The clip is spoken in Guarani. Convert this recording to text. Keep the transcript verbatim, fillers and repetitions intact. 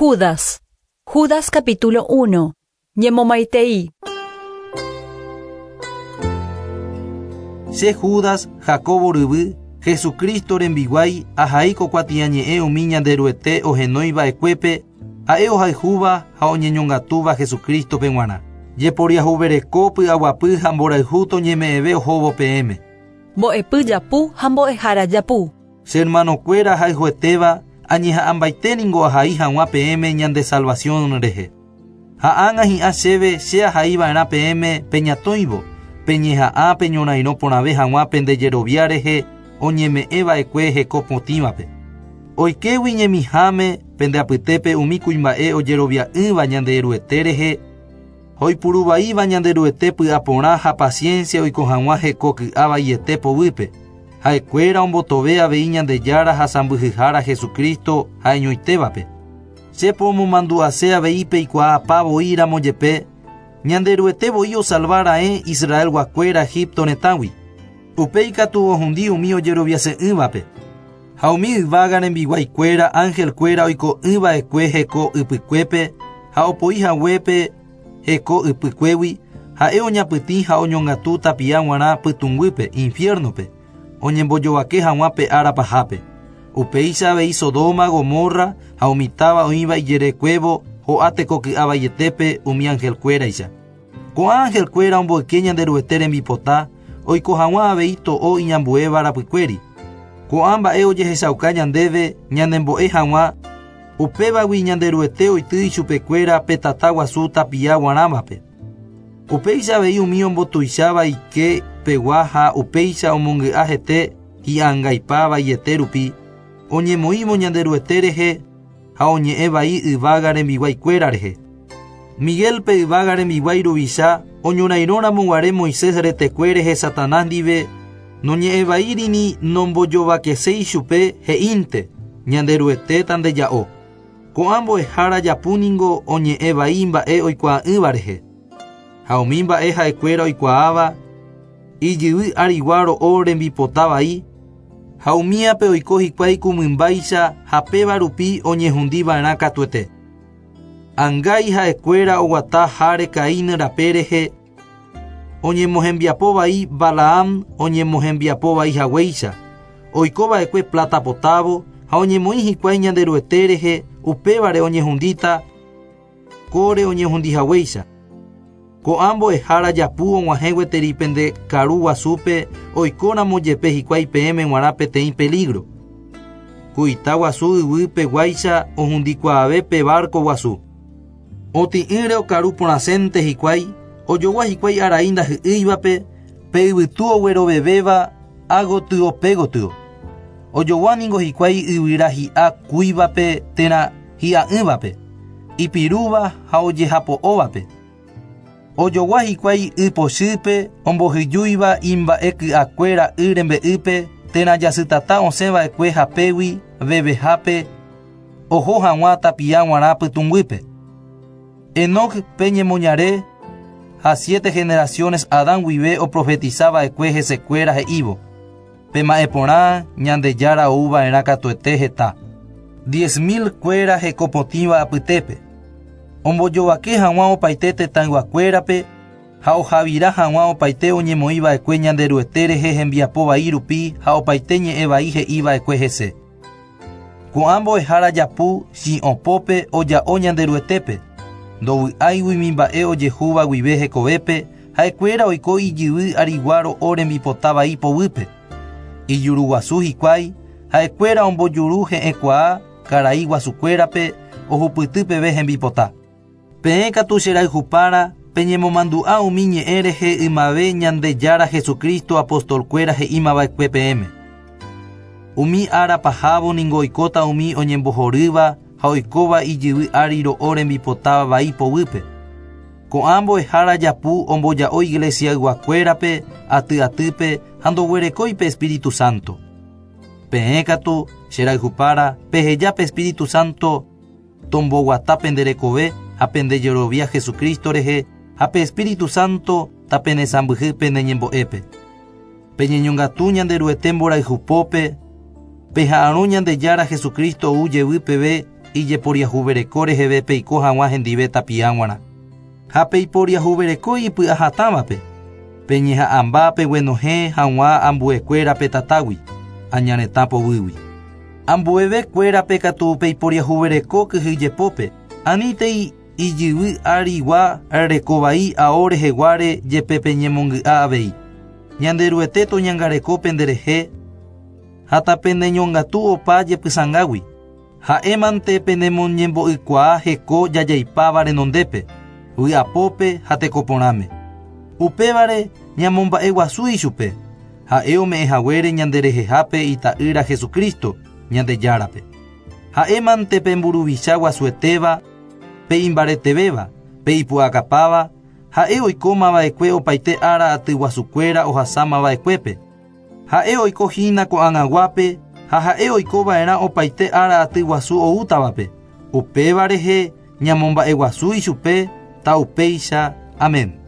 Judas. Judas capítulo uno. Ñemomaitei. Che Judas, Jacobo ryvy, Jesucristo rembiguái, ahai ko kuatiañe'ẽ umi Ñanderuete ohenóiva'ekuépe, ha'e ohayhúva ha oñeñongatúva Jesucristo-pe g̃uarã. Jeporiahuvereko py'aguapy ha mborayhu toñeme'ẽve ohóvo peẽme. Mbo'epy japu ha mbo'ehára japu. Che hermanokuéra hayhuetéva, añeha'ãmbaite ningo ahai hag̃ua peẽme ñande salvación rehe. Ha ág̃a hi'ã chéve che ahaiva'erã peẽme peñatõivo, peñeha'ã peñorairõ porãve hag̃ua pendejerovia rehe oñeme'ẽva'ekue heko potĩvape. Oikégui ñemiháme pendeapytépe umi kuimba'e ojerovia'ỹva Ñanderuete rehe, oipuruvaíva Ñanderuete py'aporã ha paciencia oiko hag̃ua heko ky'avaiete poguýpe. Ha'ekuéra ombotove avei Ñandejára ha sãmbyhyhára Jesucristo ha'eñoitévape. Che pomomandu'ase avei peikuaapa voíramo jepe, Ñanderuete voi osalvára'e Israelguakuéra Egipto retãgui. Upéi katu ohundi umi ojeroviase'ỹvape. Ha umi yvága rembiguaikuéra angelkuéra oiko'ỹva'ekue heko ypykuépe ha opoi haguépe heko ypykuégui, ha'e oñapytĩ ha oñongatu tapia g̃uarã pytũnguýpe infierno-pe, oñembojovake hag̃ua pe ára pahápe. Upéicha avei Sodoma, Gomorra ha umi táva oĩva ijerekuévo ho'a tekoky'avaietépe umi angelkuéraicha. Ko'ã angelkuéra omboyke Ñanderuete rembipota, oiko hag̃ua avei to'o iñambuéva rapykuéri. Ko'ã mba'e ojehechauka ñandéve ñanembo'e hag̃ua, upévagui Ñanderuete oity ichupekuéra pe tata guasu tapia guarãvape. Upéicha avei umi ombotuicháva ike pegua ha upéicha omongy'a hete hi'angaipavaiete rupi, oñemoĩvo Ñanderuete rehe ha oñe'ẽ vai yvága rembiguaikuéra rehe. Miguel pe yvága rembiguái ruvicha oñorairõramo guare Moisés retekue rehe Satanás ndive, noñe'ẽvaírini nombojovakeséi chupe he'ínte Ñanderuete tandeja'o. Ko'ã mbo'ehára japu ningo oñe'ẽ vai mba'e oikuaa'ỹva rehe. Ha umi mba'e ha'ekuéra oikuaáva, ijyvy arigua ro'o rembipota vai, ha umíape oiko hikuái kumymbáicha ha péva rupi oñehundiva'erã katuete. Angái ha'ekuéra oguata háre Caín rape rehe, oñemohembiapo vai Balaam oñemohembiapo vai haguéicha, oikova'ekue plata potávo ha oñemoĩ hikuái Ñanderuete rehe, upévare oñehundíta kóre oñehundi haguéicha. Ko'ã mbo'ehára japu og̃uahẽ gueteri pende karu guasúpe oikóramo jepe hikuái peẽme g̃uarã peteĩ peligro. Ku ita guasu yvýpe guáicha ohundikuaave pe barco guasu. Otĩ'ỹre okaru porãsénte hikuái, ojogua hikuái arai ndahy'ýivape, pe yvytu oguerovevéva ágotyo pégotyo. Ojogua ningo hikuái yvyra hi'a kúivape térã hi'a'ỹvape, ipirúva ha ojehapo'óvape. Ojogua hikuái ypochýpe ombohyjúiva imba'e ky'akuéra y rembe'ýpe térã jasytata osẽva'ekue hapégui vevehápe oho hag̃ua tapia g̃uarã pytũnguýpe. Enoc pe ñemoñare ha siete generaciones Adán guive oprofetizava'ekue hesekuéra he'ívo: Pema'ẽporã Ñandejára ouva'erã katuete heta. Diez mil kuéra hekopotĩva apytépe. Ombojovake hag̃ua opaite tetãyguakuérape ha ohavira hag̃ua opaite oñemoĩva'ekue Ñanderuete rehe hembiapo vai rupi ha opaite ñe'ẽ vai he'iva'ekue hese. Ko'ã mbo'ehára japu chi'õpópe oja'o Ñanderuetépe, ndovy'áigui umi mba'e ojehúva guive hekovépe, ha'ekuéra oiko ijyvy arigua ro'o rembipota vai poguýpe. Ijuruguasu hikuái, ha'ekuéra ombojuru he'ẽkuaa karai guasukuérape ohupyty peve hembipota. Peẽ katu cherayhupára peñemomandu'a umi ñe'ẽ rehe ymave Ñandejára Jesucristo apostolkuéra he'ímava'ekue peẽme. Umi ára pahávo ningo oikóta umi oñembohorýva ha oikóva ijyvy ári ro'o rembipota vai poguýpe. Ko'ã mbo'ehára japu omboja'o iglesiayguakuérape aty atýpe ha ndoguerekói pe Espíritu Santo. Peẽ katu cherayhupára peheja pe Espíritu Santo tomboguata penderekove ha pendejerovia Jesucristo rehe ha pe Espíritu Santo tapenesãmbyhy peneñembo'épe. Peñeñongatu Ñanderuete mborayhupópe, peha'arõ Ñandejára Jesucristo ou jevy peve ijeporiahuvereko reheve peiko hag̃ua hendive tapia g̃uarã. Ha peiporiahuvereko ipy'ahatãvape. Peñeha'ãmba peguenohẽ hag̃ua ambuekuérape tatágui, añaretã poguýgui. Ambuevekuérape katu peiporiahuvereko kyhyjepópe, anítei ijyvy arigua rekovai ao reheguáre jepe peñemongy'a avei. Ñanderuete toñangareko penderehe ha tapeneñongatu opa jepysãngágui. Ha'émante penemoñembo'ykuaa heko jajaipáva renondépe, vy'apópe ha tekoporãme. Upévare ñamomba'eguasu ichupe, ha'e ome'ẽhaguére ñanderehehápe ita'ýra Jesucristo, Ñandejárape. Ha'émante pe mburuvicha guasuetéva, pe imbaretevéva, pe ipu'akapáva, ha'e oikómava'ekue opaite ára atyguasukuéra ohasámava'ekuépe. Ha'e oikohína ko'ag̃aguápe ha ha'e oikova'erã opaite ára atyguasu oútavape. Upéva rehe ñamomba'eguasu ichupe taupéicha. Amén.